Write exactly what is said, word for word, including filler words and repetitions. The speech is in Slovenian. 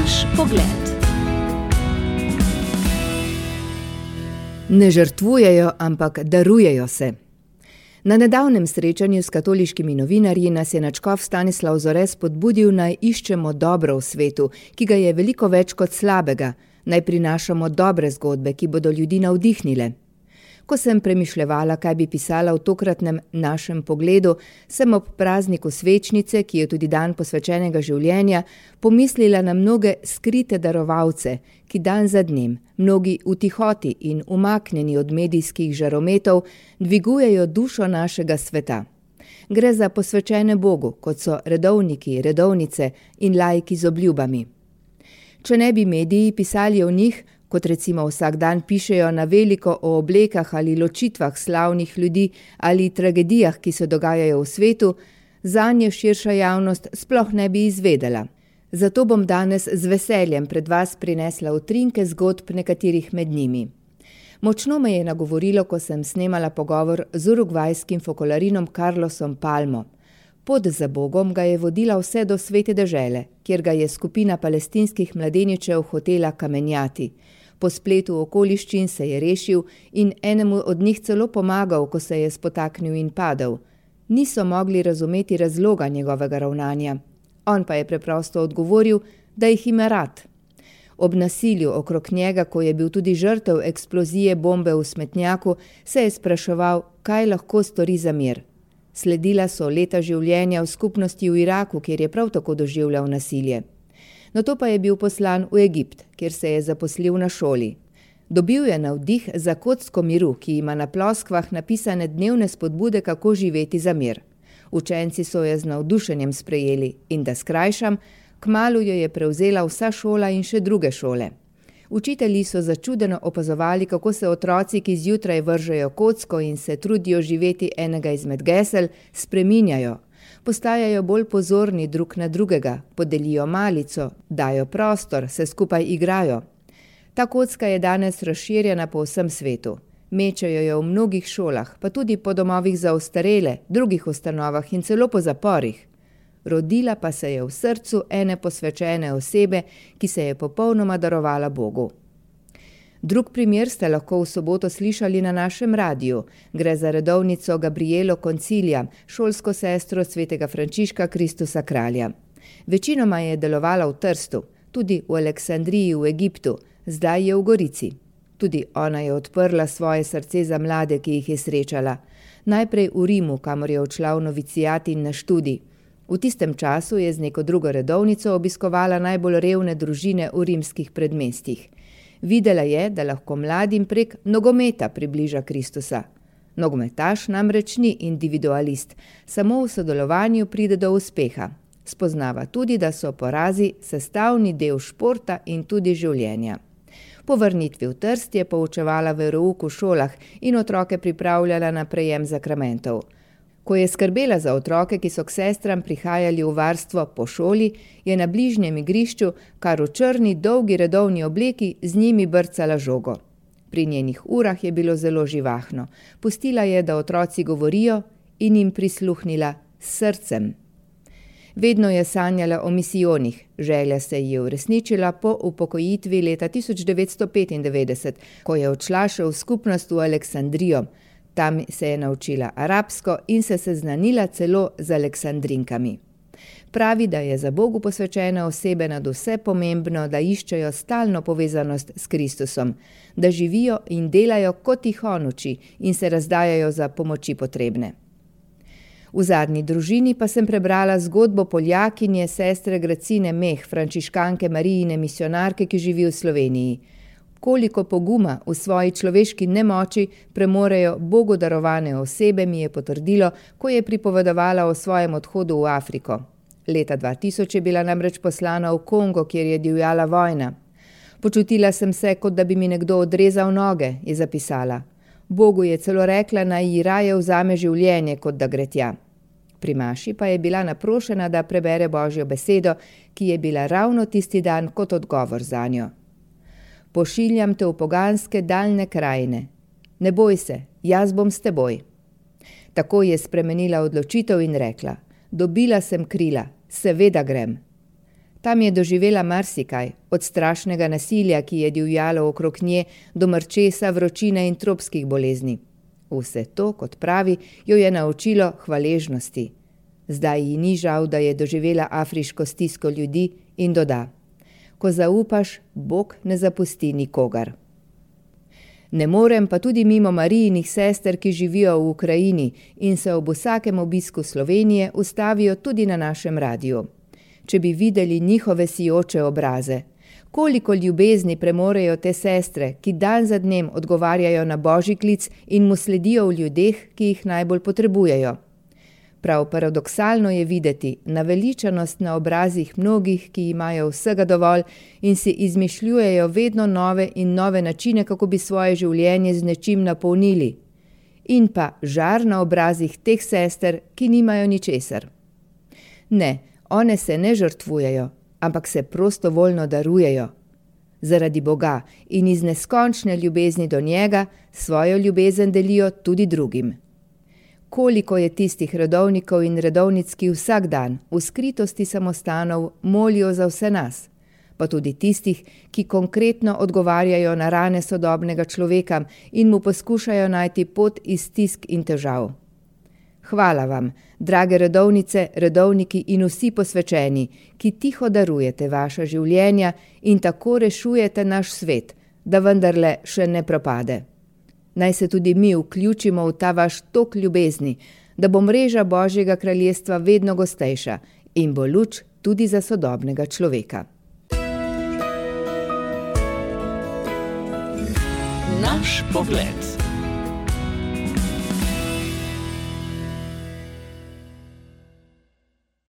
Naš pogled. Ne žrtvujejo, ampak darujejo se. Na nedavnem srečanju s katoliškimi novinarji nas je nadškof Stanislav Zore spodbudil, naj iščemo dobro v svetu, ki ga je veliko več kot slabega, naj prinašamo dobre zgodbe, ki bodo ljudi navdihnile. Ko sem premišljevala, kaj bi pisala v tokratnem našem pogledu, sem ob prazniku svečnice, ki je tudi dan posvečenega življenja, pomislila na mnoge skrite darovalce, ki dan za dnem, mnogi v tihoti in umaknjeni od medijskih žarometov, dvigujejo dušo našega sveta. Gre za posvečene Bogu, kot so redovniki, redovnice in laiki z obljubami. Če ne bi mediji pisali o njih, kot recimo vsak dan pišejo na veliko o oblekah ali ločitvah slavnih ljudi ali tragedijah, ki se dogajajo v svetu, zanje širša javnost sploh ne bi izvedela. Zato bom danes z veseljem pred vas prinesla utrinke zgodb nekaterih med njimi. Močno me je nagovorilo, ko sem snemala pogovor z urugvajskim fokolarinom Carlosom Palmo. Pot za Bogom ga je vodila vse do Svete dežele, kjer ga je skupina palestinskih mladeničev hotela kamenjati. Po spletu okoliščin se je rešil in enemu od njih celo pomagal, ko se je spotaknil in padel. Niso mogli razumeti razloga njegovega ravnanja. On pa je preprosto odgovoril, da jih ima rad. Ob nasilju okrog njega, ko je bil tudi žrtev eksplozije bombe v smetnjaku, se je spraševal, kaj lahko stori za mir. Sledila so leta življenja v skupnosti v Iraku, kjer je prav tako doživljal nasilje. Nato pa je bil poslan v Egipt, kjer se je zaposlil na šoli. Dobil je navdih za kocko miru, ki ima na ploskvah napisane dnevne spodbude, kako živeti za mir. Učenci so jo z navdušenjem sprejeli in da skrajšam, kmalu jo je prevzela vsa šola in še druge šole. Učitelji so začudeno opazovali, kako se otroci, ki zjutraj vržejo kocko in se trudijo živeti enega izmed gesel, spreminjajo. Postajajo bolj pozorni drug na drugega, podelijo malico, dajo prostor, se skupaj igrajo. Ta kocka je danes razširjena po vsem svetu. Mečejo jo v mnogih šolah, pa tudi po domovih za ostarele, drugih ustanovah in celo po zaporih. Rodila pa se je v srcu ene posvečene osebe, ki se je popolnoma darovala Bogu. Drug primer ste lahko v soboto slišali na našem radiju. Gre za redovnico Gabrielo Koncilija, šolsko sestro svetega Frančiška Kristusa kralja. Večinoma je delovala v Trstu, tudi v Aleksandriji v Egiptu, zdaj je v Gorici. Tudi ona je odprla svoje srce za mlade, ki jih je srečala. Najprej v Rimu, kamor je odšla v novicijat in na študij. V tistem času je z neko drugo redovnico obiskovala najbolj revne družine v rimskih predmestjih. Videla je, da lahko mladim prek nogometa približa Kristusa. Nogometaš namreč ni individualist, samo v sodelovanju pride do uspeha. Spoznava tudi, da so porazi sestavni del športa in tudi življenja. Po vrnitvi v Trst je poučevala verouk v šolah in otroke pripravljala na prejem zakramentov. Ko je skrbela za otroke, ki so k sestram prihajali v varstvo po šoli, je na bližnjem igrišču, kar v črni, dolgi redovni obleki, z njimi brcala žogo. Pri njenih urah je bilo zelo živahno. Pustila je, da otroci govorijo in jim prisluhnila s srcem. Vedno je sanjala o misijonih. Želja se ji je uresničila po upokojitvi leta tisoč devetsto petindevetdeset, ko je odšla še v skupnost v Aleksandrijo. Tam se je naučila arabsko in se seznanila celo z Aleksandrinkami. Pravi, da je za Bogu posvečene osebe nad vse pomembno, da iščejo stalno povezanost s Kristusom, da živijo in delajo, kot jih on uči, in se razdajajo za pomoči potrebne. V zadnji družini pa sem prebrala zgodbo Poljakinje sestre Gracine Meh, frančiškanke Marijine misionarke, ki živi v Sloveniji. Koliko poguma v svoji človeški nemoči premorejo Bogu darovane osebe, mi je potrdilo, ko je pripovedovala o svojem odhodu v Afriko. Leta dva tisoč je bila namreč poslana v Kongo, kjer je divjala vojna. Počutila sem se, kot da bi mi nekdo odrezal noge, je zapisala. Bogu je celo rekla, naj ji raje vzame življenje, kot da gre tja. Pri maši pa je bila naprošena, da prebere Božjo besedo, ki je bila ravno tisti dan kot odgovor zanjo. Pošiljam te v poganske daljne krajine. Ne boj se, jaz bom s teboj. Tako je spremenila odločitev in rekla, dobila sem krila, seveda grem. Tam je doživela marsikaj, od strašnega nasilja, ki je divjalo okrog nje, do mrčesa, vročine in tropskih bolezni. Vse to, kot pravi, jo je naučilo hvaležnosti. Zdaj ji ni žal, da je doživela afriško stisko ljudi in doda: ko zaupaš, Bog ne zapusti nikogar. Ne morem pa tudi mimo Marijinih sester, ki živijo v Ukrajini in se ob vsakem obisku Slovenije ustavijo tudi na našem radiju. Če bi videli njihove sijoče obraze, koliko ljubezni premorejo te sestre, ki dan za dnem odgovarjajo na Božji klic in mu sledijo v ljudeh, ki jih najbolj potrebujejo. Prav paradoksalno je videti naveličanost na obrazih mnogih, ki imajo vsega dovolj in si izmišljujejo vedno nove in nove načine, kako bi svoje življenje z nečim napolnili. In pa žar na obrazih teh sester, ki nimajo ničesar. Ne, one se ne žrtvujejo, ampak se prostovoljno darujejo. Zaradi Boga in iz neskončne ljubezni do njega svojo ljubezen delijo tudi drugim. Koliko je tistih redovnikov in redovnic, ki vsak dan v skritosti samostanov molijo za vse nas, pa tudi tistih, ki konkretno odgovarjajo na rane sodobnega človeka in mu poskušajo najti pot iz stisk in težav. Hvala vam, drage redovnice, redovniki in vsi posvečeni, ki tiho darujete vaša življenja in tako rešujete naš svet, da vendarle še ne propade. Naj se tudi mi vključimo v ta vaš tok ljubezni, da bo mreža Božjega kraljestva vedno gostejša in bo luč tudi za sodobnega človeka. Naš pogled.